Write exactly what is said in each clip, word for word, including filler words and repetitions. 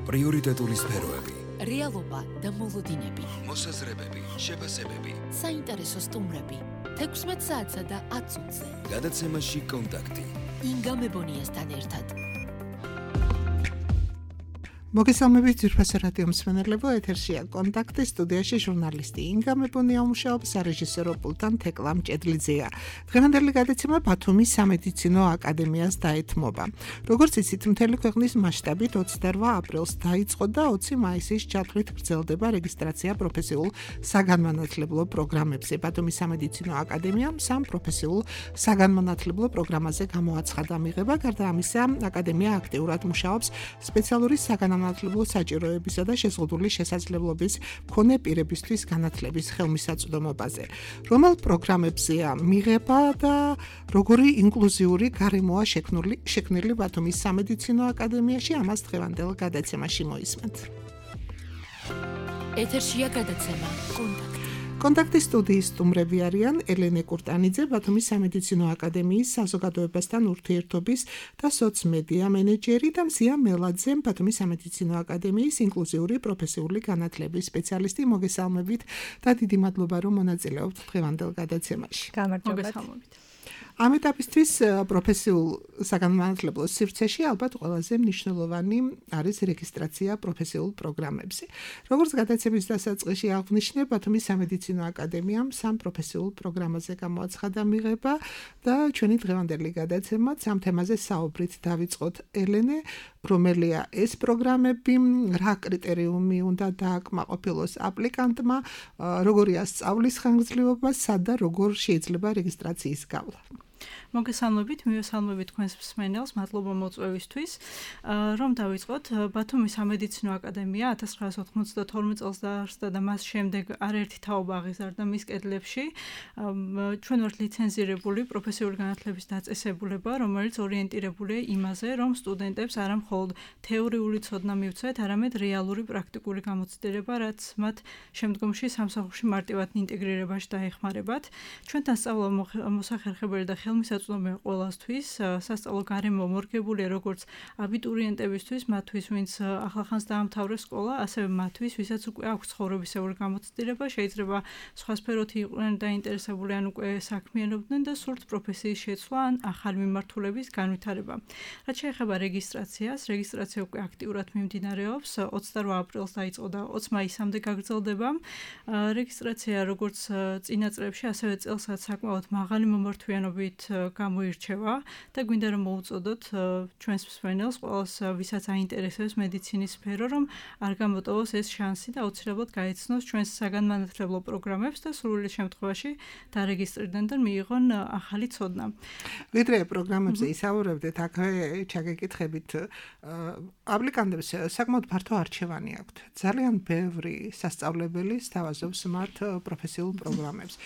პრიორიტეტული სფეროები, რეალობა და მოლოდინები, მოსაზრებები, შეფასებები, საინტერესო სტუმრები, თექვსმეტ საათსა და ათ წუთზე. გადაცემაში კონტაქტი. ინგა მებონიასთან ერთად. მოგესალმებით ძვირფასო რადიო მსმენელებო, ეთერშია კონტაქტი, სტუდიაში ჟურნალისტი ინგა მებონია მუშაობს, სარეჟისორო პულტთან თეკლა მჭედლიძეა. დღევანდელი გადაცემა ბათუმის სამედიცინო აკადემიას დაეთმობა. როგორც იცით, მთელი ქვეყნის მასშტაბით ოცდარვა აპრილს დაიწყო და ოცი მაისის ჩათვლით გრძელდება რეგისტრაცია პროფესიულ საგანმანათლებლო პროგრამებზე. ბათუმის სამედიცინო აკადემიამ სამ პროფესიულ საგანმანათლებლო პროგრამაზე გამოაცხადა მიღება. გარდა ამისა, აკადემია აქტიურად მუშაობს სპეციალური საგანმანათლებლო განათლებლო საჭიროებისა და შეზღუდული შესაძლებლობის მქონე პირებისთვის განათლების ხელმისაწვდომობაზე. რომელ პროგრამებზეა მიღება და როგორი ინკლუზიური გარემოა შექმნილი შექმნილი ბათუმის სამედიცინო აკადემიაში, ამას დღევანდელ გადაცემაში მოისმენთ. ეთერშია გადაცემა კონტაქტი. კონტაქტის სტუდიის სტუმრები არიან ელენე კურტანიძე, ბათუმის სამედიცინო აკადემიის საზოგადოებასთან ურთიერთობის და სოცმედია მენეჯერი და მზია მელაძე, ბათუმის სამედიცინო აკადემიის ინკლუზიური პროფესიული განათლების სპეციალისტი. მოგესალმებით და დიდი მადლობა, რომ მონაწილეობთ დღევანდელ გადაცემაში. გამარჯობათ. ამ ეტაპისთვის პროფესიულ საგანმანათლებლო სივრცეში ალბათ ყველაზე მნიშვნელოვანი არის რეგისტრაცია პროფესიულ პროგრამებზე. როგორც გადაცემის დასაწყისში აღვნიშნე, ბათუმის სამედიცინო აკადემიამ სამ პროფესიულ პროგრამაზე გამოაცხადა მიღება და ჩვენი დღევანდელი გადაცემაც ამ თემაზე საუბრით დავიწყოთ. ელენე, რომელია ეს პროგრამები, რა კრიტერიუმი უნდა დააკმაყოფილოს აპლიკანტმა, როგორია სწავლის ხანგრძლივობა, სად და როგორ შეიძლება რეგისტრაციის გავლა. მოგესალმებით, მივესალმებით თქვენს მსმენელს, მადლობა მოწვევისთვის. რომ დავიწყოთ, ბათუმის სამედიცინო აკადემია ათას ცხრაასი ოთხმოცდათორმეტ წელს დაარსდა და მას შემდეგ არაერთი თაობა აღიზარდა მის კედლებში. ჩვენ ვართ ლიცენზირებული პროფესიული განათლების დაწესებულება, რომელიც ორიენტირებულია იმაზე, რომ სტუდენტებს არა მხოლოდ თეორიული ცოდნა მივცეთ, არამედ რეალური პრაქტიკული გამოცდილება, რაც მათ შემდგომში სამსახურში მარტივად ინტეგრირებაში დაეხმარებათ. ჩვენთან სწავლა მოსახერხებელი და ხელმისაწვდომი ყველასთვის, სასწავლო გარემო მორგებულია როგორც აბიტურიენტებისთვის, მათთვის, ვინც ახლახანს დაამთავრეს სკოლა, ასევე მათთვის, ვისაც უკვე აქვს ცხოვრებისეული გამოცდილება, შეიძლება სხვა სფეროთი იყვნენ დაინტერესებული, ან უკვე საქმიანობდნენ და სურთ პროფესიის შეცვლა ან ახალი მიმართულების განვითარება. რაც შეეხება რეგისტრაციას, რეგისტრაცია უკვე აქტიურად მიმდინარეობს, ოცდარვა აპრილს დაიწყო და ოცი მაისამდე გაგრძელდება. რეგისტრაცია როგორც წინა წლებში, ასევე წელსაც საკმაოდ მაღალი მომართვიანობით გამოირჩევა და გვინდა რომ მოუწოდოთ ჩვენს მსმენელს, ყველას ვისაც აინტერესებს მედიცინის სფერო, რომ არ გამოტოვოს ეს შანსი და აუცილებლად გაეცნოს ჩვენს საგანმანათლებლო პროგრამებს და სრული შემთხვევაში დარეგისტრირდნენ და მიიღონ ახალი ცოდნა. ვიდრე პროგრამებზე ისაუბრებდეთ, აქვე ჩაგეკითხებით, აპლიკანტებს საკმაოდ ფართო არჩევანი აქვთ. ძალიან ბევრი სასწავლებელი სთავაზობს მათ პროფესიულ პროგრამებს.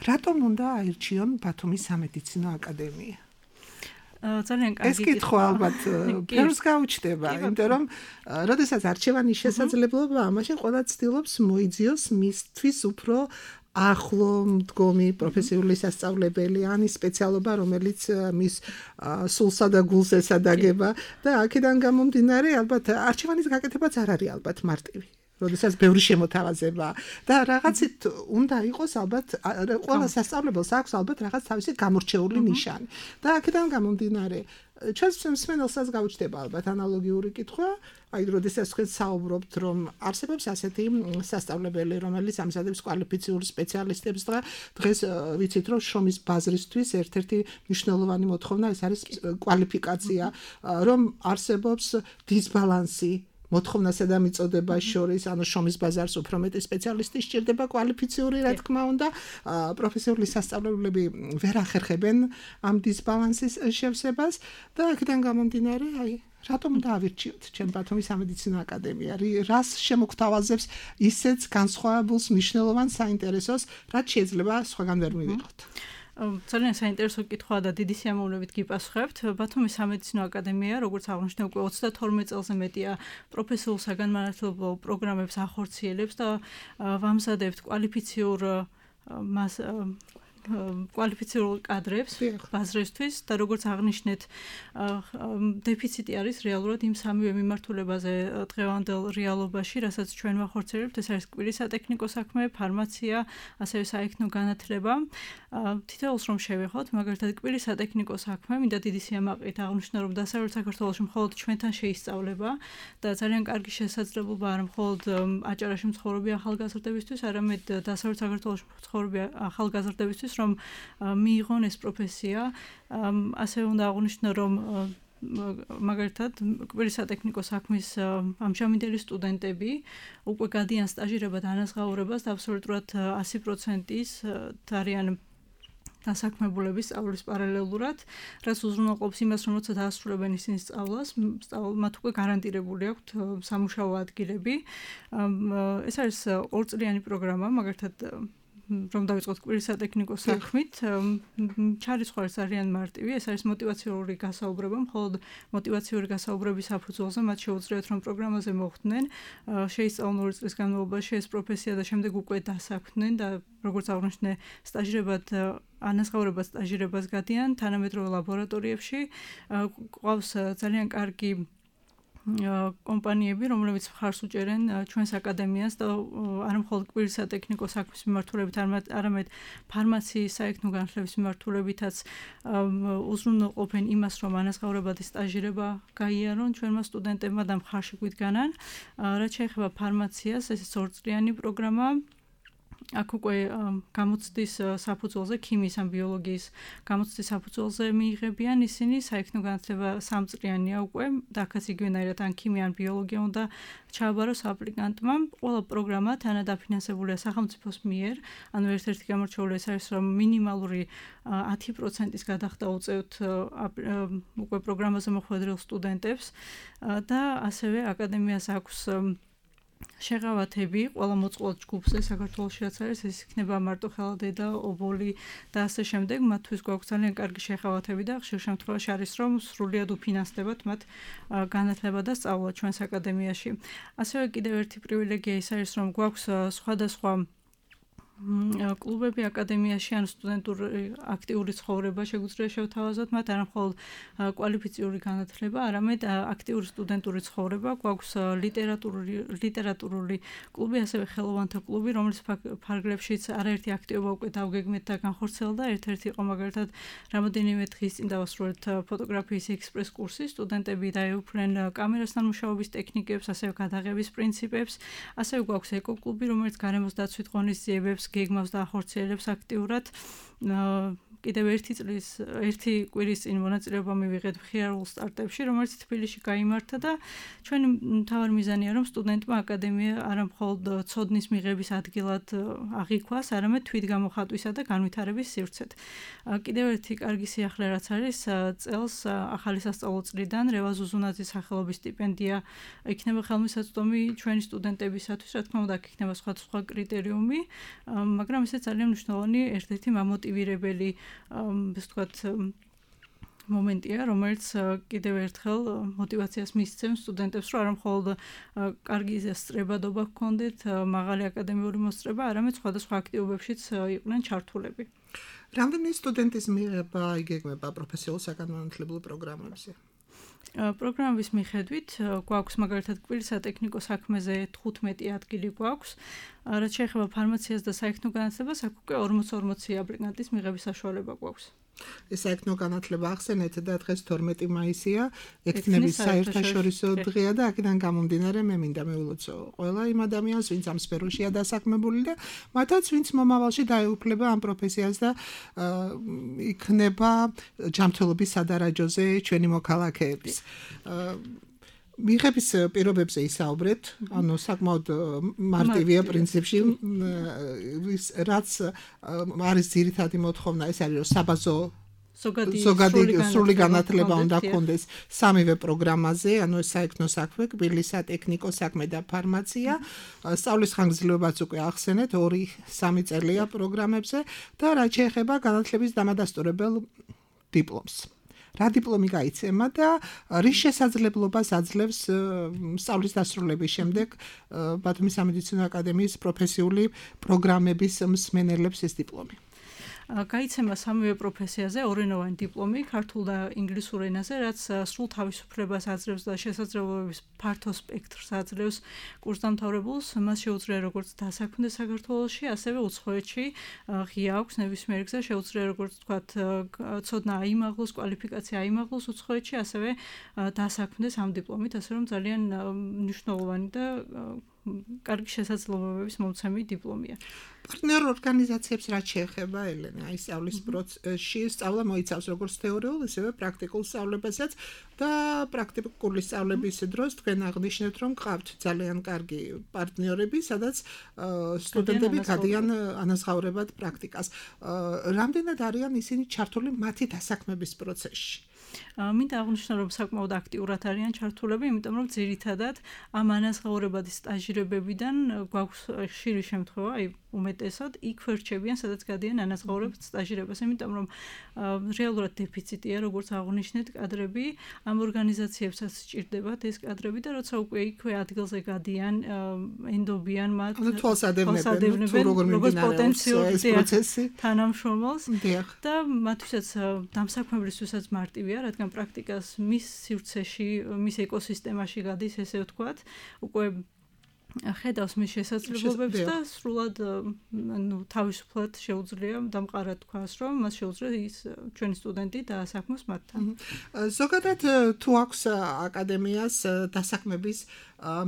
რატომ უნდა აირჩიონ ბათუმის სამედიცინო აკადემია? ძალიან კარგი ეს კითხვა ალბათ ბევრს გაუჩნდება, იმიტომ რომ როდესაც არჩევანის შესაძლებლობაა, მაშინ ყველა ცდილობს მოიძიოს მისთვის უფრო ახლო მდგომი პროფესიული სასწავლებელი, ან ის სპეციალობა, რომელიც მის სულსა და გულს ესადაგება და აქედან გამომდინარე, ალბათ არჩევანის გაკეთებაც არ არის ალბათ მარტივი. როდესაც ბევრი შემოთავაზება და რაღაცით უნდა იყოს ალბათ ყველა სასწავლებელს აქვს ალბათ რაღაც თავისი გამორჩეული ნიშანი. და აქედან გამომდინარე, ჩვენს მსმენელსაც გაუჩნდება ალბათ ანალოგიური კითხვა, აი როდესაც თქვენ საუბრობთ, რომ არსებობს ასეთი სასწავლებელი, რომელიც ამზადებს კვალიფიციურ სპეციალისტებს და დღეს ვიცით, რომ შრომის ბაზრისთვის ერთ-ერთი მნიშვნელოვანი მოთხოვნა ეს არის კვალიფიკაცია, რომ არსებობს დისბალანსი მოთხოვნასა და მიწოდებას შორის, ანუ შრომის ბაზარს უფრო მეტი სპეციალისტი სჭირდება კვალიფიციური, რა თქმა უნდა, პროფესიული სასწავლებლები ვერ ახერხებენ ამ დისბალანსის შევსებას და აქედან გამომდინარე, აი, რატომ დაავირჩიოთ ჩვენ ბათუმის სამედიცინო აკადემია? რას შემოგთავაზებს ისეთ განსხვავებულს, მნიშვნელოვან საინტერესოს, რაც შეიძლება სხვაგან ვერ მივიღოთ? ძალიან საინტერესო კითხვაა და დიდი სიამოვნებით გიპასუხებთ. ბათუმის სამედიცინო აკადემია, როგორც აღნიშნე, უკვე ოცდათორმეტ წელზე მეტია პროფესიულ საგანმანათლებლო პროგრამებს ახორციელებს და ვამზადებთ კვალიფიციურ მას კვალიფიციურულ კადრებს ბაზრისთვის და როგორც აღნიშნეთ, დეფიციტი არის რეალურად იმ სამივე მიმართულებაზე დღევანდელ რეალობაში, რასაც ჩვენ ვახორციელებთ, ეს არის კვირის სატექნიკო საქმე, ფარმაცია, ასევე საექნო განათლება. თითოეულს რომ შევეხოთ, მაგალითად კვირის სატექნიკო საქმე, მინდა დიდი სიამაყით აღვნიშნო, რომ დასავლეთ საქართველოში მხოლოდ ჩვენთან შეისწავლება და ძალიან კარგი შესაძლებლობა არა მხოლოდ აჭარაში მცხოვრები ახალგაზრდებისთვის, არამედ დასავლეთ საქართველოში მცხოვრები ახალგაზრდებისთვის, რომ მიიღონ ეს პროფესია. ასევე უნდა აღვნიშნო, რომ მაგალითად კვირის სატექნიკო საქმის ამჟამინდელი სტუდენტები უკვე გადიან სტაჟირებად ანაზღაურებას და აბსოლუტურად ასი პროცენტის არიან დასაქმებულების სწავლის პარალელურად, რაც უზრუნველყოფს იმას, რომ როცა დაასრულებენ ისინი სწავლას, მათ უკვე გარანტირებული აქვთ სამუშაო ადგილები. ეს არის ორწლიანი პროგრამა, მაგალითად რომ დავიწყოთ კვირის სატექნიკო საქმით, ჩარიცხვა არის ძალიან მარტივი, ეს არის мотиваციური გასაუბრება, მხოლოდ мотиваციური გასაუბრების საფუძველზე მათ შეუძლიათ რომ პროგრამაზე მოხვდნენ, შეისწავლონ ორი წლის განმავლობაში ეს პროფესია და შემდეგ უკვე დასაქმდნენ და როგორც აღნიშნე, სტაჟირებად ანაზღაურებას სტაჟირებას გადიან თანამედროვე ლაბორატორიებში, ყავს ძალიან კარგი კომპანიები, რომლებიც მხარს უჭერენ ჩვენს აკადემიას და არა მხოლოდ კვირის სატექნიკო საქმის მიმართულებით, არამედ ფარმაციის საექნო განათლების მიმართულებითაც უზრუნველყოფენ იმას, რომ ანაზღაურებადი სტაჟირება გაიარონ ჩვენმა სტუდენტებმა და მხარში გვიდგანან. რაც შეეხება ფარმაციას, ეს ორწლიანი პროგრამა. აქ უკვე გამოცდის საფუძველზე, ქიმიის ან ბიოლოგიის გამოცდის საფუძველზე მიიღებიან ისინი, საექნო განათლება სამწლიანია უკვე, და აქაც იგივენაირად ან ქიმია ან ბიოლოგია უნდა ჩააბაროს აპლიკანტმა. ყველა პროგრამა თანადაფინანსებულია სახელმწიფოს მიერ, ანუ ერთ-ერთი გამორჩეული ეს არის, რომ მინიმალური ათი პროცენტის გადახდა უწევთ უკვე პროგრამაზე მოხვედრილ სტუდენტებს და ასევე აკადემიას აქვს შეღავათები ყველა მოწყვლად ჯგუფზე საქართველოში რაც არის, ეს იქნება მარტოხელა დედა, ობოლი და ასე შემდეგ, მათთვის გვაქვს ძალიან კარგი შეღავათები და ხშირ შემთხვევაში არის რომ სრულიად უფინანსდებათ მათ განათლება და სწავლა ჩვენს აკადემიაში. ასევე კიდევ ერთი პრივილეგია ის არის, რომ გვაქვს სხვადასხვა კლუბები აკადემიაში ან სტუდენტური აქტიური ცხოვრება შეგვიძლია შევთავაზოთ მათ, არა მხოლოდ კვალიფიციური განათლება, არამედ აქტიური სტუდენტური ცხოვრება, გვაქვს ლიტერატურული ლიტერატურული კლუბი, ასევე ხელოვანთა კლუბი, რომლის ფარგლებშიც არაერთი აქტივობა უკვე დავგეგმეთ და განხორციელდა. ერთ-ერთი იყო მაგალითად რამოდენიმე დღის წინ დავასრულეთ ფოტოგრაფიის ექსპრეს კურსი, სტუდენტები დაეუფლნენ კამერასთან მუშაობის ტექნიკებს, ასევე გადაღების პრინციპებს. ასევე გვაქვს ეკოკლუბი, რომელიც გარემოს დაცვით ღონისძიებებს გეგმავს და ახორციელებს აქტიურად. კიდევ ერთი წლის, ერთი კვირის წინ მონაწილეობა მივიღეთ მხიარულ სტარტებში, რომელიც თბილისში გაიმართა და ჩვენი მთავარი მიზანია, რომ სტუდენტმა აკადემია არა მხოლოდ ცოდნის მიღების ადგილად აღიქვას, არამედ თვითგამოხატვისა და განვითარების სივრცეთ. კიდევ ერთი კარგი სიახლე რაც არის, წელს ახალი სასწავლო წლიდან რევაზ უზუნაძის სახელობის სტიპენდია იქნება ხელმისაწვდომი ჩვენი სტუდენტებისათვის, რა თქმა უნდა, აქ იქნება სხვადასხვა კრიტერიუმი, მაგრამ ესე ძალიან მნიშვნელოვანი ერთ-ერთი მამოტივირებელი ეს თქვათ მომენტია, რომელიც კიდევ ერთხელ мотиваციას მისცემს სტუდენტებს, რომ არა მხოლოდ კარგი სწრებადობა ჰქონდეთ, მაღალი აკადემიური მოსწრება, არამედ სხვადასხვა აქტივობებშიც იყვნენ ჩართულები. რამდენი სტუდენტის მიღება იგეგმება პროფესიულ საგანმანათლებლო პროგრამებზე? პროგრამების მიხედვით გვაქვს მაგალითად კვირის სატექნიკო საქმეზე თხუთმეტი ადგილი გვაქვს, რაც შეეხება ფარმაციას და საექნო განათლებას, აქ უკვე ორმოცი ორმოცი აპლიკანტის მიღების საშუალება გვაქვს. ეს საექნო განათლება ახსენეთ და დღეს თორმეტი მაისია, ექთნების საერთაშორისო დღეა და აქედან გამომდინარე მე მინდა მივულოცო ყველა იმ ადამიანს, ვინც ამ სფეროშია დასაქმებული და მათაც ვინც მომავალში დაეუფლება ამ პროფესიას და იქნება ჯანმრთელობის სადარაჯოზე ჩვენი მოქალაქეების. მიღების პირობებზე ისაუბრეთ, ანუ საკმაოდ მარტივია პრინციპში, რაც არის ძირითადი მოთხოვნა, ეს არის რომ საბაზო ზოგადი სრული განათლება უნდა ჰქონდეს სამივე პროგრამაზე, ანუ საექნო საქმე, კბილის სატექნიკო საქმე და ფარმაცია. სწავლის ხანგრძლივობაც უკვე ახსენეთ, ორი სამი წელია პროგრამებზე და რაც შეეხება განათლების დამადასტურებელ დიპლომს. რა დიპლომი გაიცემა და რის შესაძლებლობას აძლევს სწავლის დასრულების შემდეგ ბათუმის სამედიცინო აკადემიის პროფესიული პროგრამების მსმენელებს ეს დიპლომი? გაიცემა სამივე პროფესიაზე ორენოვანი დიპლომი ქართულ და ინგლისურ ენაზე, რაც სრულ თავისუფლებას აძლევს და შესაძლებლობების ფართო სპექტრს აძლევს კურსდამთავრებულს. მას შეუძლია როგორც დასაქმდა საქართველოში, ასევე უცხოეთში ღია აქვს ნებისმიერ გზა, შეუძლია როგორც თქვათ ცოდნა აიმაღლოს, კვალიფიკაცია აიმაღლოს უცხოეთში, ასევე დასაქმდეს ამ დიპლომით, ასე რომ ძალიან მნიშვნელოვანი და კარგი შესაძლებლობების მომცემი დიპლომია. პარტნიორ ორგანიზაციებს რაც შეეხება ელენე, აი სწავლის პროცესში სწავლა მოიცავს როგორც თეორიულ, ისევე პრაქტიკულ სწავლებასაც და პრაქტიკული სწავლების დროს თქვენ აღნიშნეთ, რომ გყავთ ძალიან კარგი პარტნიორები, სადაც სტუდენტები გადიან ანაზღაურებად პრაქტიკას. რამდენად არიან ისინი ჩართული მათი დასაქმების პროცესში? მინდა აღნიშნო, რომ საკმაოდ აქტიურად არიან ჩართულები, იმიტომ რომ ძირითადად ამ ანაზღაურებადი სტაჟირებებიდან გვაქვს ხშირი შემთხვევა, აი უმეტესად იქ ვერჩებიან, სადაც გადიან ანაზღაურებად სტაჟირებას, იმიტომ რომ რეალურად დეფიციტია, როგორც აღნიშნეთ, კადრები, ამ ორგანიზაციებსაც სჭირდებათ ეს კადრები და როცა უკვე იქვე ადგილზე გადიან, ენდობიან მათ, თვალსადევნებენ, თუ როგორ მიმდინარეობს ეს პროცესი თანამშრომელს და მათთვისაც დამსაქმებლისთვისაც მარტივია, რადგან პრაქტიკას მის სივრცეში, მის ეკოსისტემაში გადის, ესე ვთქვათ, უკვე ხედავს მის შესაძლებლობებს და სრულად ნუ თავისუფლად შეუძლია დამყარად თქვას, რომ მას შეუძლია ის ჩვენი სტუდენტი დაასაქმოს მათთან. ზოგადად თუ აქვს აკადემიას დასაქმების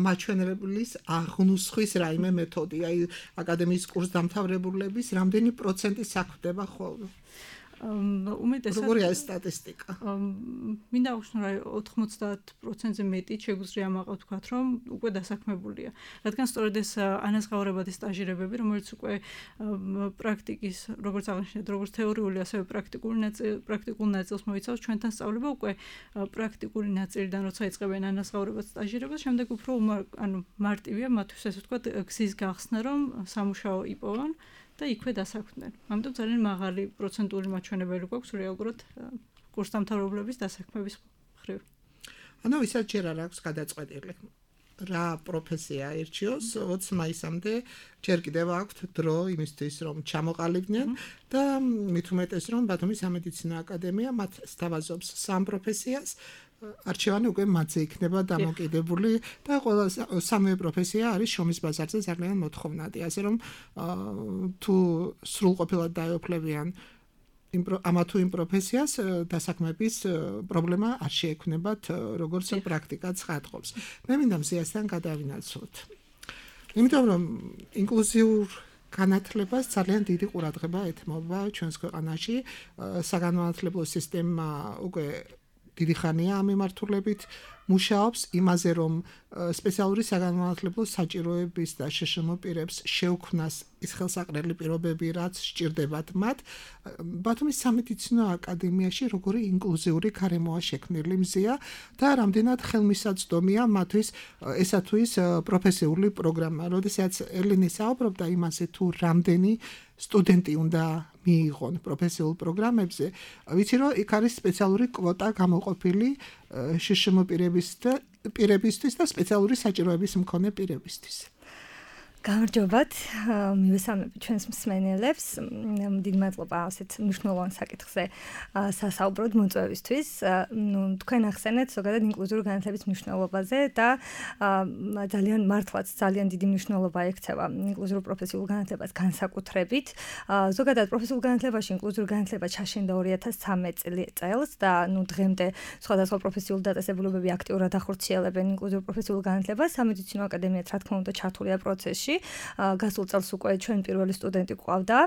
მაჩვენებლის აღნუსხვის რაიმე მეთოდი, აი აკადემიის კურსდამთავრებულების რამდენი პროცენტი საქმდება ხოლმე? უმეტესად როგორია ეს სტატისტიკა? მინდა აღნიშნო, რომ ოთხმოცდაათ პროცენტზე მეტი შეგვიძლია ამაყავ თქვათ, რომ უკვე დასაქმებულია. რადგან სწორედ ეს ანაზღაურებადი სტაჟირებები, რომელიც უკვე პრაქტიკის, როგორც აღნიშნეთ, როგორც თეორიული, ასევე პრაქტიკული ნაწილი, პრაქტიკულ ნაწილს მოიცავს, ჩვენთან სწავლება უკვე პრაქტიკული ნაწილიდან, როცა იწყებენ ანაზღაურებად სტაჟირებას, შემდეგ უფრო ანუ მარტივია მათთვის, ასე ვთქვათ, გზის გახსნა, რომ სამუშაო იპოვონ და იქვე დასაქმდნენ. ამიტომ ძალიან მაღალი პროცენტული მაჩვენებელი გვაქვს რეალურად კურსდამთავრებულების დასაქმების მხრივ. ანუ ისაც ჯერ არ აქვს გადაწყვეტილი. რა პროფესია ერჩიოს, ოცი მაისამდე ჯერ კიდევ აქვთ დრო იმისთვის, რომ ჩამოყალიბდნენ და მით უმეტეს, რომ ბათუმის სამედიცინო აკადემია მათ სთავაზობს სამ პროფესიას. არჩევანი უკვე მათზე იქნება დამოკიდებული და ყველა სამივე პროფესია არის შრომის ბაზარზე ძალიან მოთხოვნადი, ასე რომ თუ სრულყოფილად დაეუფლებიან ამა თუ იმ პროფესიას დასაქმების პრობლემა არ შეექმნებათ, როგორც პრაქტიკა ცხადყოფს. მე მინდა მზიასთან გადავინაცვლოთ. იმიტომ რომ ინკლუზიურ განათლებას ძალიან დიდი ყურადღება ეთმობა ჩვენს ქვეყანაში, საგანმანათლებლო სისტემა უკვე დიდი ხანია ამ მიმართულებით მუშაობს იმაზე, რომ სპეციალური საგანმანათლებლო საჭიროების და შეშმო პირებს შეუქმნას ის ხელსაყრელი პირობები, რაც სჭირდებათ მათ. ბათუმის სამედიცინო აკადემიაში როგორი ინკლუზიური გარემოა შექმნილი მზია და რამდენად ხელმისაწვდომია მათთვის ესა თუ ის პროფესიული პროგრამა. როდესაც ელენე საუბრობდა იმაზე, თუ რამდენი სტუდენტი უნდა მიიღონ პროფესიულ პროგრამებზე, ვიცი რომ იქ არის სპეციალური კვოტა გამოყოფილი შეშმო პირებისთვის და სპეციალური საჭიროების მქონე პირებისთვის. გამარჯობათ, მივესალმები ჩვენს მსმენელებს. დიდი მადლობა ასეთ მნიშვნელოვან საკითხზე სასაუბროდ მოწვევისთვის. ნუ თქვენ ახსენეთ ზოგადად ინკლუზიური განათლების მნიშვნელობაზე და ძალიან მართლაც ძალიან დიდი მნიშვნელობა ექცევა ინკლუზიურ პროფესიულ განათლებას განსაკუთრებით. ზოგადად პროფესიულ განათლებაში ინკლუზიური განათლება ჩაშენდა ორი ათას ცხრამეტ წელს და ნუ დღემდე სხვადასხვა პროფესიულ დაწესებულებები აქტიურად ახორციელებენ ინკლუზიურ პროფესიულ განათლებას. სამედიცინო აკადემიაც რა თქმა უნდა ჩართულია პროცესში. გასულ წელს უკვე ჩვენ პირველი სტუდენტი გვყავდა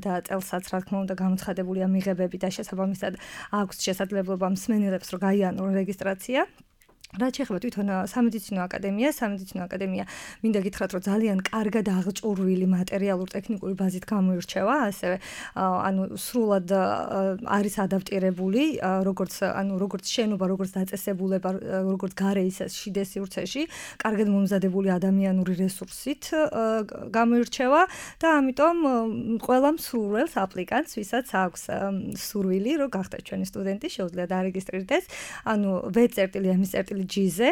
და წელსაც რა თქმა უნდა გამოცხადებულია მიღებები და შესაბამისად აქვს შესაძლებლობა მსმენელებს რომ გაიარონ რეგისტრაცია. რაც შეეხება თვითონ სამედიცინო აკადემიას, სამედიცინო აკადემია მინდა გითხრათ, რომ ძალიან კარგად აღჭურვილი მატერიალურ-ტექნიკური ბაზით გამოირჩევა, ასევე ანუ სრულად არის ადაპტირებული, როგორც ანუ როგორც შენობა, როგორც დაწესებულება, როგორც გარე ისე შიდე სივრცეში, კარგად მომზადებული ადამიანური რესურსით გამოირჩევა და ამიტომ ყველა მსურველს აპლიკანტს, ვისაც აქვს სურვილი, რომ გახდეს ჩვენი სტუდენტი, შეუძლია დარეგისტრირდეს, ანუ ვე წერტილი, ემის წერტილი ნაწილი ჯი-ზე,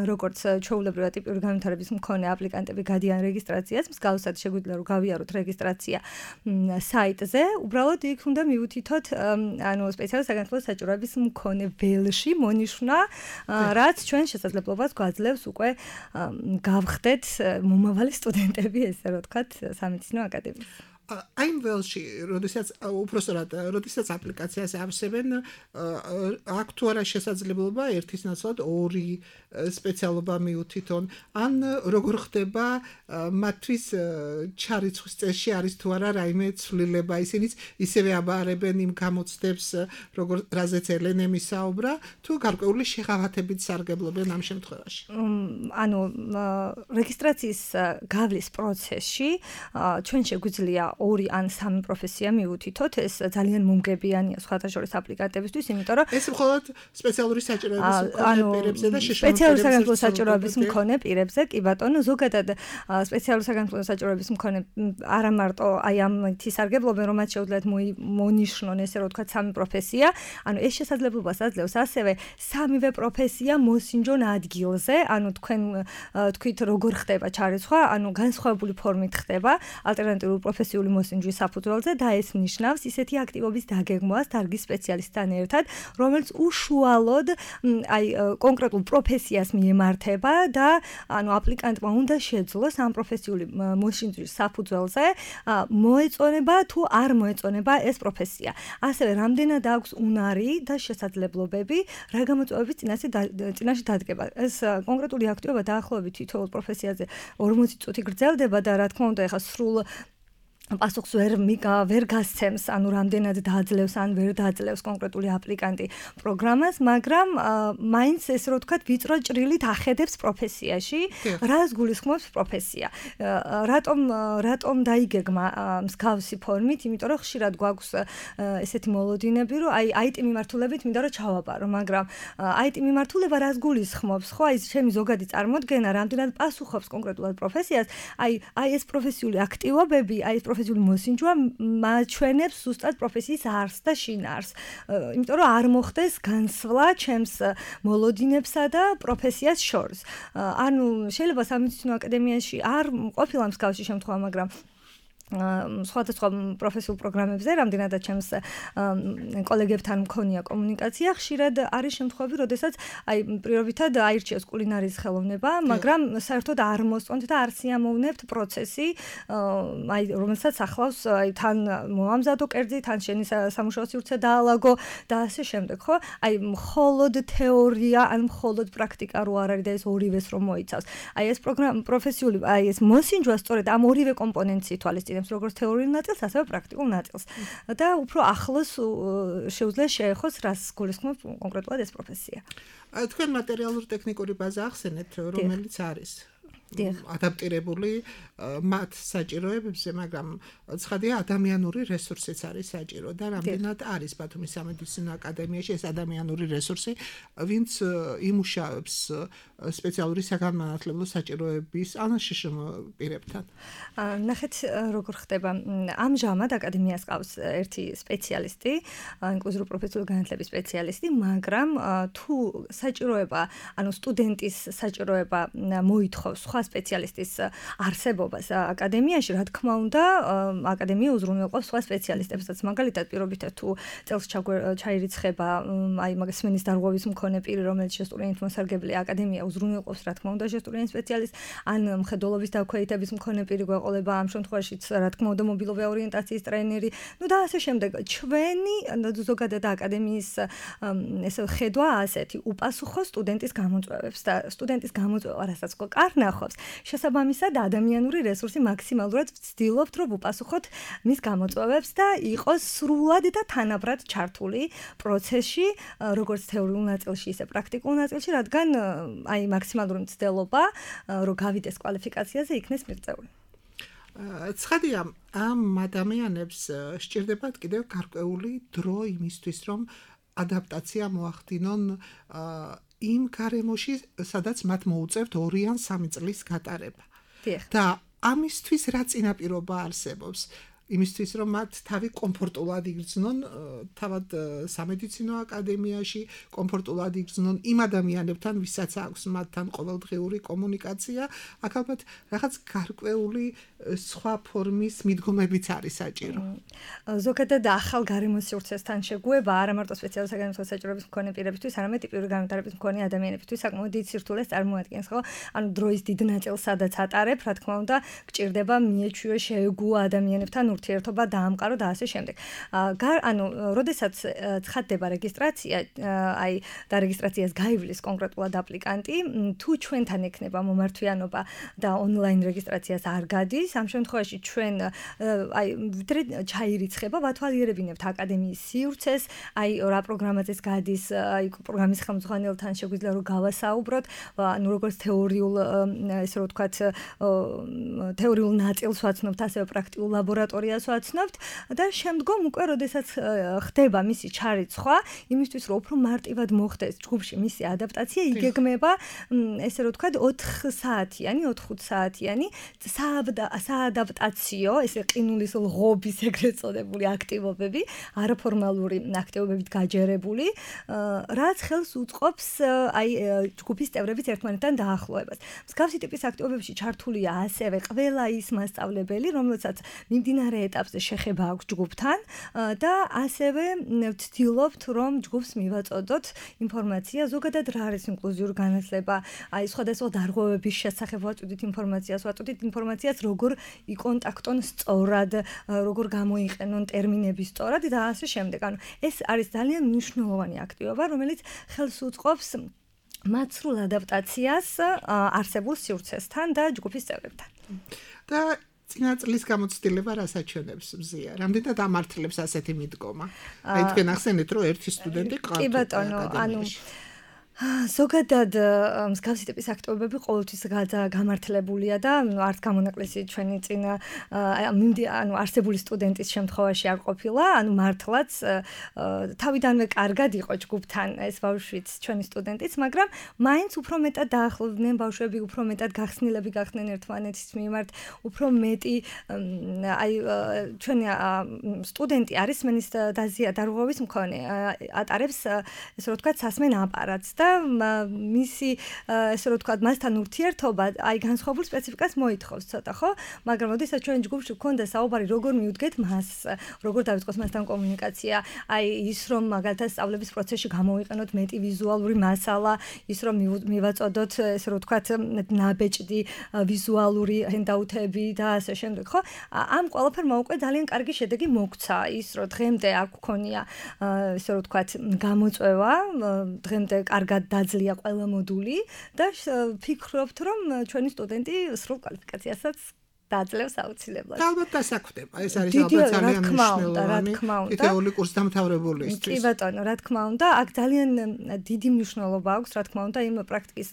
როგორც ჩვეულებრივად ტიპური განვითარების მქონე აპლიკანტები გადიან რეგისტრაციას, მსგავსად შეგვიძლია რომ გავიაროთ რეგისტრაცია საიტზე, უბრალოდ იქ უნდა მივუთითოთ ანუ სპეციალური საგანმანათლებლო საჭიროების მქონე ველში მონიშნა, რაც ჩვენ შესაძლებლობას გვაძლევს უკვე გავხდეთ მომავალი სტუდენტები, ესე რომ ვთქვათ, სამედიცინო აკადემიის. I'm ველში, როდესაც უпростоრად, როდესაც აპლიკაციას ავსებენ, აქ თუ არა შესაძლებლობა ერთის ნაცვლად ორი სპეციალობა მიუთითონ, ან როგორ ხდება მათთვის ჩარიცხვის წესში არის თუ არა რაიმე ცვლილება, ისინიც ისევე აბარებენ იმ გამოცდებს, როგორ რაზეც ელენე მისაუბრა, თუ გარკვეული შეღავათებით სარგებლობენ ამ შემთხვევაში. ანუ რეგისტრაციის გავლის პროცესში ჩვენ შეგვიძლია ორი ან სამი პროფესია მივუთითოთ, ეს ძალიან მომგებიანია სხვათა შორის აპლიკანტებისთვის, იმიტომ რომ ეს მხოლოდ სპეციალური საჭიროების მქონე პირებზე და შეშმოწმებული სპეციალური საგანმანათლებლო საჭიროების მქონე პირებზე, კი ბატონო, ზოგადად სპეციალური საგანმანათლებლო საჭიროების მქონე არა მარტო აი ამითი სარგებლობენ, რომ მათ შეუძლიათ მონიშნონ, ესე რომ ვთქვათ, სამი პროფესია, ანუ ეს შესაძლებლობას აძლევს ასევე სამივე პროფესია მოსინჯონ ადგილზე, ანუ თქვენ თქვით როგორ ხდება ჩარიცხვა, ანუ განსხვავებული ფორმით ხდება ალტერნატიული პროფესიული მოსინჯვის საფუძველზე და ეს ნიშნავს ისეთი აქტივობის დაგეგმვას დარგის სპეციალისტთან ერთად, რომელიც უშუალოდ აი კონკრეტულ პროფესიას მიემართება და ანუ აპლიკანტმა უნდა შეძლოს ამ პროფესიული მოსინჯვის საფუძველზე მოეწონება თუ არ მოეწონება ეს პროფესია. ასევე რამდენად აქვს უნარი და შესაძლებლობები რა გამოწვევების წინაშე დადგება. ეს კონკრეტული აქტივობა დაახლოებით თითოეულ პროფესიაზე ორმოცი წუთი გრძელდება და რა თქმა უნდა ეხა სრულ პასუხს ვერ ვერ გასცემს, ანუ რამდენად დააძლევს ან ვერ დააძლევს კონკრეტული აპლიკანტი პროგრამას, მაგრამ მაინც ეს რო ვთქვათ, ვიწრო ჭრილით ახედებს პროფესიაში, რას გულისხმობს პროფესია. რატომ რატომ დაიგეგმა მსგავსი ფორმით, იმიტომ რომ ხშირად გვაქვს ესეთი მოლოდინები, რომ აი აიტ მიმართულებით მინდა რომ ჩავაბარო, მაგრამ აიტ მიმართულება რას გულისხმობს, ხო, აი ჩემი ზოგადი წარმოდგენა, რამდენად პასუხობს კონკრეტულად პროფესიას, აი აი ეს პროფესიული აქტივობები, აი ეს პროფესიული მოსინჯვა მაჩვენებს ზუსტად პროფესიის არსს და შინაარსს. იმიტომ რომ არ მოხდეს განსვლა ჩემს მოლოდინებსა და პროფესიას შორის. ანუ შეიძლება სამედიცინო აკადემიაში არ ყოფილა მსგავსი შემთხვევა, მაგრამ სხვადასხვა პროფესიულ პროგრამებზე, რამდენადაც ჩემს კოლეგებთან მქონია კომუნიკაცია, ხშირად არის შემთხვევები, როდესაც აი პრიორიტეტად აირჩიეს კულინარიის ხელოვნება, მაგრამ საერთოდ არ მოსწონთ და არ სიამოვნებთ პროცესი, აი რომელსაც ახლავს აი თან მოამზადო კერძი, თან შენი სამუშაო სივრცე დაალაგო და ასე შემდეგ, ხო? აი მხოლოდ თეორია ან მხოლოდ პრაქტიკა რო არ არის და ეს ორივეს რომ მოიცავს. აი ეს პროგრამა პროფესიული, აი ეს მოსინჯვა სწორედ ამ ორივე კომპონენტს ითვალისწინებს. როგორც თეორიულ ნაწილს, ასევე პრაქტიკულ ნაწილს. და უფრო ახლოს შეუძლია შეეხოს, რას გულისხმობს კონკრეტულად ეს პროფესია. თქვენ მატერიალური ტექნიკური ბაზა ახსენეთ, რომელიც არის ადაპტირებული მათ საჭიროებებზე, მაგრამ ცხადია ადამიანური რესურსიც არის საჭირო და რამდენად არის ბათუმის სამედიცინო აკადემიაში ეს ადამიანური რესურსი, ვინც იმუშავებს სპეციალური საგანმანათლებლო საჭიროების ან შეშმო პირებთან. ნახეთ როგორ ხდება. ამჟამად აკადემიას ყავს ერთი სპეციალისტი, ინკლუზიური პროფესიული განათლების სპეციალისტი, მაგრამ თუ საჭიროება, ანუ სტუდენტის საჭიროება მოითხოვს სხვა სპეციალისტის არსებობას აკადემიაში, რა თქმა უნდა, აკადემია უზრუნველყოფს სხვა სპეციალისტებსაც. მაგალითად, პირობითად თუ წელს ჩაირიცხება აი მაგას სმენის დარღვევის მქონე პირი, რომელიც შესტურიანით მოსარგებლია, აკადემია უზრუნველყოფს, რა თქმა უნდა, შესტურიანი სპეციალისტს, ან მხედველობის დაქვეითების მქონე პირი გვეყოლება, ამ შემთხვევაშიც, რა თქმა უნდა, მობილური ორიენტაციის ტრენერი, ну და ასე შემდეგ. ჩვენი ზოგადად აკადემიის ესე ხედვა ასეთი, უპასუხო სტუდენტის გამოწვევებს და სტუდენტის გამოწვევა, რასაც კარნახობს, შესაბამისად ადამიანური რესურსი მაქსიმალურად ვცდილობთ, რომ უპასუხოთ მის გამოწვევებს და იყოს სრულად და თანაბრად ჩართული პროცესში, როგორც თეორიულ ნაწილში, ისე პრაქტიკულ ნაწილში, რადგან აი მაქსიმალური მცდელობა, რომ გავიდეს კვალიფიკაციაზე, იქნეს მიღწეული. ცხადია, ამ ადამიანებს სჭირდებათ კიდევ გარკვეული დრო იმისთვის, რომ ადაპტაცია მოახდინონ იმ გარემოში, სადაც მათ მოუწევთ ორი ან სამი წლის გატარება. და ამისთვის რა წინაპირობა არსებობს? იმისთვის რომ მათ თავი კომფორტულად იგრძნონ თავად სამედიცინო აკადემიაში, კომფორტულად იგრძნონ იმ ადამიანებთან, ვისაც აქვს მათთან ყოველდღიური კომუნიკაცია, აქ ალბათ რაღაც გარკვეული სხვა ფორმის მიდგომებიც არის საჭირო. ზოგადად ახალ გარემო სივრცესთან შეგუება არა მარტო სპეციალური საგანმანათლებლო საჭიროების მქონე პირებისთვის, არამედ ტიპიური განვითარების მქონე ადამიანებისთვის საკმაოდ დიდ სირთულეს წარმოადგენს, ხო? ანუ დროის დიდ ნაწილს სადაც ატარებ, რა თქმა უნდა, გჭირდება მიეჩვიო შეეგუო ადამიანებთან ურთიერთობა დაამყარო და ასე შემდეგ. ანუ, როდესაც ცხადდება რეგისტრაცია, აი და რეგისტრაციას გაივლის კონკრეტულად აპლიკანტი, თუ ჩვენთან ექნება მომართვიანობა და ონლაინ რეგისტრაციას არ გადის, ამ შემთხვევაში ჩვენ აი ვიდრე ჩაირიცხება, ვათვალიერებინებთ აკადემიის სივრცეს, აი რა პროგრამაზეც გადის, აი პროგრამის ხელმძღვანელთან შეგვიძლია რომ გავასაუბროთ, ანუ როგორც თეორიულ, ესე რომ ვთქვათ, თეორიულ ნაწილს ვაცნობთ, ასევე პრაქტიკულ ლაბორატორიას ვაცნობთ და შემდგომ უკვე როდესაც ხდება მისი ჩარიცხვა, იმისთვის რომ უფრო მარტივად მოხდეს ჯგუფში მისი ადაპტაცია, იგეგმება ესე რომ ვთქვათ ოთხ საათიანი, ოთხ საათიანი საადაპტაციო, ესე ყინულის ლღობის ეგრეთ წოდებული აქტივობები, არაფორმალური აქტივობებით გაჯერებული, რაც ხელს უწყობს აი ჯგუფის წევრების ერთმანეთთან დაახლოებას. მსგავსი ტიპის აქტივობებში ჩართულია ასევე ყველა ის მასწავლებელი, რომელსაც მიმდინარე ეტაპზე შეხება აქვს ჯგუფთან და ასევე ვცდილობთ, რომ ჯგუფს მივაწოდოთ ინფორმაცია, ზოგადად რა არის ინკლუზიური განათლება, აი სხვადასხვა დარღვევების შესახებ ვაწოდით ინფორმაციას, ვაწოდით ინფორმაციას, როგორ იკონტაქტონ სწორად, როგორ გამოიყენონ ტერმინები სწორად და ასე შემდეგ. ანუ ეს არის ძალიან მნიშვნელოვანი აქტივობა, რომელიც ხელს უწყობს მათ სრულ ადაპტაციას არსებულ სივრცესთან და ჯგუფის წევრებთან. და წინა წლის გამოცდილება რასაც მზია. რამდენად ამართლებს ასეთი მიდგომა? აი თქვენ ახსენეთ, რომ ერთი სტუდენტი ყავთ. კი ბატონო, ანუ ზოგადად მსგავსი ტიპის აქტივობები ყოველთვის გამართლებულია და არც გამონაკლისი ჩვენი წინა ანუ არსებული სტუდენტის შემთხვევაში არ ყოფილა, ანუ მართლაც თავიდანვე კარგად იყო ჯგუფთან ეს ბავშვიც ჩვენი სტუდენტიც, მაგრამ მაინც უფრო მეტად დაახლოვდნენ ბავშვები, უფრო მეტად გახსნილები გახდნენ ერთმანეთის მიმართ, უფრო მეტი აი ჩვენი სტუდენტი არის მენის დაზიანების მქონე, ატარებს ესე რომ ვთქვათ სასმენ აპარატს და მისი ესე რომ ვთქვათ მასთან ურთიერთობა აი განსხვავებულ სპეციფიკას მოითხოვს ცოტა, ხო? მაგრამ როდესაც ჩვენ ჯგუფში გვქონდა საუბარი როგორ მივდგეთ მას, როგორ დავიწყოთ მასთან კომუნიკაცია, აი ის რომ მაგალითად სწავლების პროცესში გამოვიყენოთ მეტი ვიზუალური მასალა, ის რომ მივაწოდოთ ესე რომ ვთქვათ ნაბეჭდი ვიზუალური ჰენდაუთები და ასე შემდეგ, ხო? ამ ყველაფერმა უკვე ძალიან კარგი შედეგი მოგცა, ის რომ დღემდე არ გქონია ესე რომ ვთქვათ გამოწვევა, დღემდე კარგად დაძლია ყველა მოდული და ვფიქრობთ, რომ ჩვენი სტუდენტი სრულ კვალიფიკაციასაც დაძლევს აუცილებლად. და ალბათ დასაქმდება, ეს არის ალბათ ძალიან მნიშვნელოვანი თითოეული კურსდამთავრებულისთვის. კი ბატონო, რა თქმა უნდა, აქ ძალიან დიდი მნიშვნელობა აქვს, რა თქმა უნდა, იმ პრაქტიკის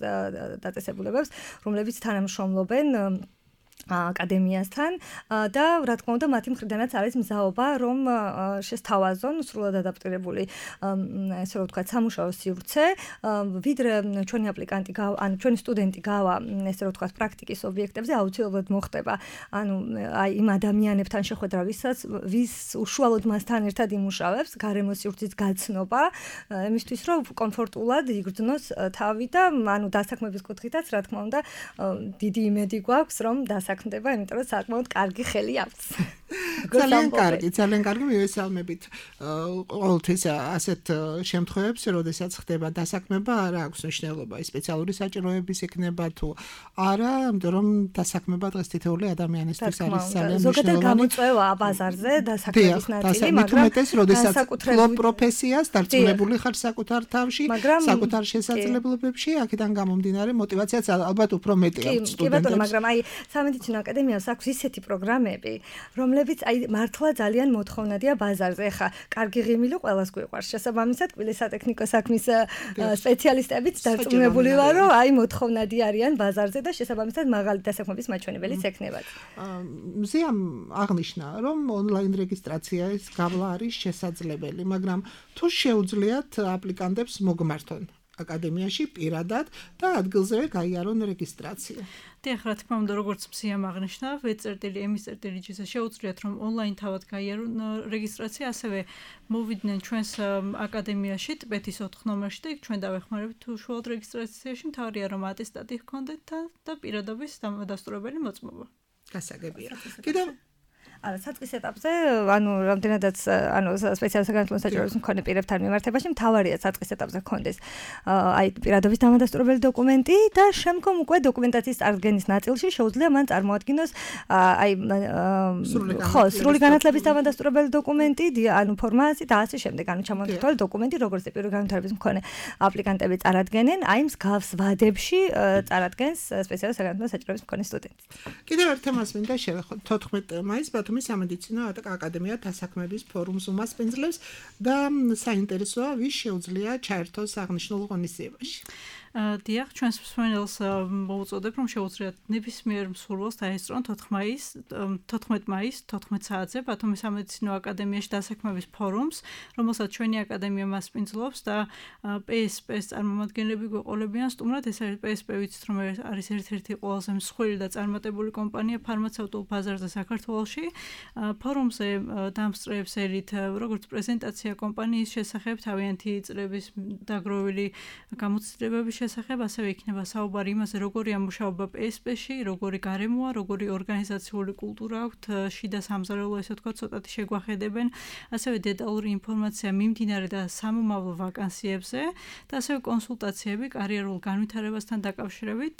დაწესებულებებს, რომლებიც თანამშრომლობენ აკადემიასთან და რა თქმა უნდა მათი მხრიდანაც არის მზაობა რომ შესთავაზონ სრულად ადაპტირებული ესე რომ ვთქვათ სამუშაო სივრცე ვიდრე ჩვენი აპლიკანტი ანუ ჩვენი სტუდენტი გავა ესე რომ ვთქვათ პრაქტიკის ობიექტებზე აუცილებლად მოხდება ანუ აი იმ ადამიანებთან შეხვედრა ვისაც ვის უშუალოდ მასთან ერთად იმუშავებს გარემო სივრცის გაცნობა იმისთვის რომ კომფორტულად იგრძნოს თავი და ანუ დასაქმების კუთხითაც რა თქმა უნდა დიდი იმედი გვაქვს რომ დასაქმდება, იმიტომ რომ საკმაოდ კარგი ხელი აქვს. ძალიან კარგი, ძალიან კარგი მივესალმებით. ყოველთვის ასეთ შემთხვევებში, როდესაც ხდება დასაქმება, არა აქვს მნიშვნელობა, სპეციალური საჭიროების ექნება თუ არა, იმიტომ რომ დასაქმება დღეს თითოეული ადამიანისთვის არის ძალიან მნიშვნელოვანი. ზოგადად გამოწვევა ბაზარზე დასაქმების ნაწილი, მაგრამ მეტეს, როდესაც ფლობ პროფესიას დარწმუნებული ხარ საკუთარ თავში, საკუთარ შესაძლებლობებში, აქედან გამომდინარე მოტივაციაც ალბათ უფრო მეტი აქვს სტუდენტებს. კი ბატონო, მაგრამ აი სამედიცინო აკადემიას აქვს ისეთი პროგრამები, რომლებიც აი მართლა ძალიან მოთხოვნადია ბაზარზე. ეხა კარგი ღიმილი ყველას გვიყვარს. შესაბამისად, კვილის სატექნიკო საქმის სპეციალისტებიც დარწმუნებული ვარ, რომ აი მოთხოვნადი არიან ბაზარზე და შესაბამისად მაღალი დასაქმების მაჩვენებელიც ექნებათ. მზიამ აღნიშნა, რომ ონლაინ რეგისტრაციის გავლა არის შესაძლებელი, მაგრამ თუ შეუძლიათ აპლიკანტებს მოგმართონ აკადემიაში პირადად და ადგილზევე გაიარონ რეგისტრაცია. დიახ, რა თქმა უნდა, როგორც მსიამ აღნიშნა, ვე.ემ.ჯ-ზე შეუძლიათ რომ ონლაინ თავად გაიარონ რეგისტრაცია, ასევე მოვიდნენ ჩვენს აკადემიაში ტბეთის ოთხ ნომერში და იქ ჩვენ დავეხმარებთ უშუალოდ რეგისტრაციაში, მთავარია რომ ატესტატი ჰქონდეთ და პირადობის დამადასტურებელი მოწმობა. გასაგებია. კიდევ არა, საწყის ეტაპზე, ანუ რამდენადაც ანუ სპეციალურ საგანმანათლებლო საჭიროებას მქონე პირებთან მიმართებაში, მთავარია საწყის ეტაპზე ჰქონდეს აი პირადობის დამადასტურებელი დოკუმენტი და შემდგომ უკვე დოკუმენტაციის წარდგენის ნაწილში შეუძლია მან წარმოადგინოს აი ხო, სრული განათლების დამადასტურებელი დოკუმენტი, ანუ ფორმაცია და ასე შემდეგ, ანუ ჩამონთვალე დოკუმენტი, როგორც პირველი განათლების მქონე აპლიკანტები წარადგენენ, აი მსგავს ვადებში წარადგენს სპეციალურ საგანმანათლებლო საჭიროების მქონე სტუდენტი. კიდევ ერთ თემას მინდა შევეხოთ. თოთხმეტ მაისს ბათუმის სამედიცინო აკადემია დასაქმების ფორუმს უმასპინძლებს და საინტერესოა ვის შეუძლია ჩაერთოს აღნიშნულ ღონისძიებაში. დიახ, ჩვენს მსმენელს მოვუწოდებ, რომ შეუძლიათ ნებისმიერ მსურველს დაესწრონ თოთხმეტ მაისს თოთხმეტ საათზე ბათუმის სამედიცინო აკადემიაში დასაქმების ფორუმს, რომელსაც ჩვენი აკადემია მასპინძლობს და პი ეს პი-ს წარმომადგენლები გვეყოლებიან სტუმრად. ეს არის პი ეს პი, ვიცით რომ არის ერთ-ერთი ყველაზე მსხვილი და წარმატებული კომპანია ფარმაცევტულ ბაზარზე საქართველოში. ფორუმზე დამსწრეებს ელით როგორც პრეზენტაცია კომპანიის შესახებ, თავიანთი წლების დაგროვილი გამოცდილებების შესახებ, ასევე იქნება საუბარი იმაზე, როგორია მუშაობა პი ეს პი-ში, როგორი გარემოა, როგორი ორგანიზაციული კულტურა აქვთ, შიდა სამზარეულო, ესე ვთქვათ, ცოტათი შეგვახედებენ, ასევე დეტალური ინფორმაცია მიმდინარე და სამომავლო ვაკანსიებზე და ასევე კონსულტაციები კარიერულ განვითარებასთან დაკავშირებით.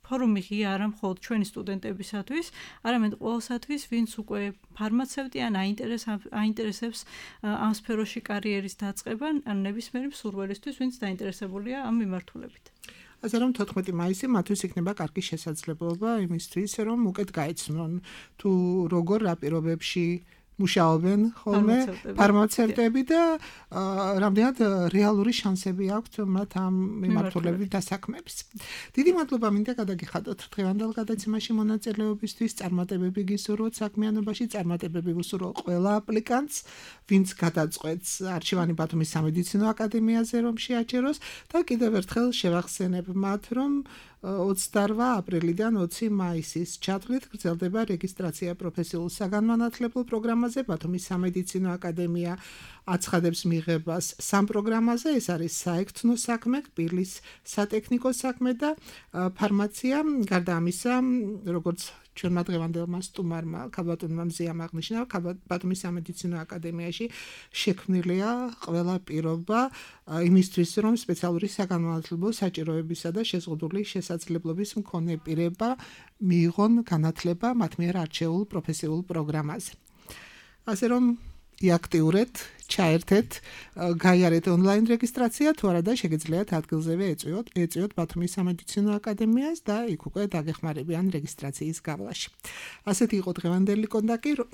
ფორუმი ღია არა მხოლოდ ჩვენი სტუდენტებისათვის, არამედ ყოველსათვის, ვინც უკვე ფარმაცევტი ან აინტერესებს ამ სფეროში კარიერის დაწყება, ან ნებისმიერი მსურველისთვის, ვინც დაინტერესებულია ამ მიმართულებით. ასე რომ თოთხმეტი მაისი მათთვის იქნება კარგი შესაძლებლობა იმისთვის, რომ უკეთ გაეცნონ თუ როგორ რა პირობებში მუშაობენ ხოლმე ფარმაცევტები და რამდენად რეალური შანსები აქვთ მათ ამ მიმართულებით დასაქმების. დიდი მადლობა მინდა გადაგიხადოთ დღევანდელ გადაცემაში მონაწილეობისთვის. წარმატებები გისურვოთ საქმიანობაში, წარმატებები ვუსურვოთ ყველა აპლიკანტს, ვინც გადაწყვეტს არჩევანი ბათუმის სამედიცინო აკადემიაზე რომ შეაჩეროს და კიდევ ერთხელ შევახსენებ მათ, რომ ოცდაოთხ აპრილიდან ოცი მაისის ჩათვლით გრძელდება რეგისტრაცია პროფესიულ საგანმანათლებლო პროგრამაზე. ბათუმის სამედიცინო აკადემია აცხადებს მიღებას სამ პროგრამაზე, ეს არის საექცნო საქმე, კბილის სატექნიკო საქმე და ფარმაცია. გარდა ამისა, როგორც ჩვენმა დღევანდელმა სტუმარმა ქალბატონმა მზიამ აღნიშნა, ბათუმის სამედიცინო აკადემიაში შექმნილია ყველა პირობა იმისთვის, რომ სპეციალური საგანმანათლებლო საჭიროებისა და შეზღუდული შესაძლებლობის მქონე პირება მიიღონ განათლება მათ მიერ არჩეულ პროფესიულ პროგრამაზე. ასე რომ იაქტიურეთ, ჩაერთეთ, გაიარეთ ონლაინ რეგისტრაცია, თუ არა და შეგიძლიათ ადგილზევე ეწვიოთ, ეწვიოთ ბათუმის სამედიცინო აკადემიას და იქ უკვე დაგეხმარებიან რეგისტრაციის გავლაში. ასეთი იყო დღევანდელი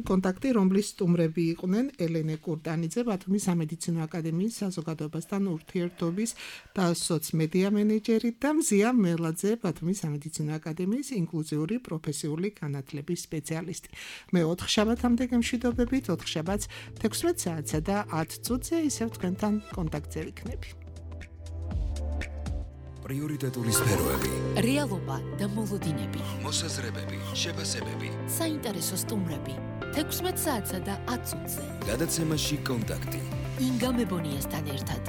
კონტაქტი, რომლის სტუმრები იყვნენ ელენე კურტანიძე, ბათუმის სამედიცინო აკადემიის საზოგადოებასთან ურთიერთობის და სოცმედია მენეჯერი და მზია მელაძე, ბათუმის სამედიცინო აკადემიის ინკლუზიური პროფესიული განათლების სპეციალისტი. მე ოთხ შაბათამდე გემშვიდობებით, ოთხ შაბათს თექვსმეტ საათსა და ათ წუთზე ისევ თქვენთან კონტაქტზე ვიქნები. პრიორიტეტული სფეროები, რეალობა და მოლოდინები, მოსაზრებები, შეფასებები, საინტერესო სტუმრები. თექვსმეტ საათსა და ათ წუთზე. გადაცემაში კონტაქტი. ინგა მებონიასთან ერთად.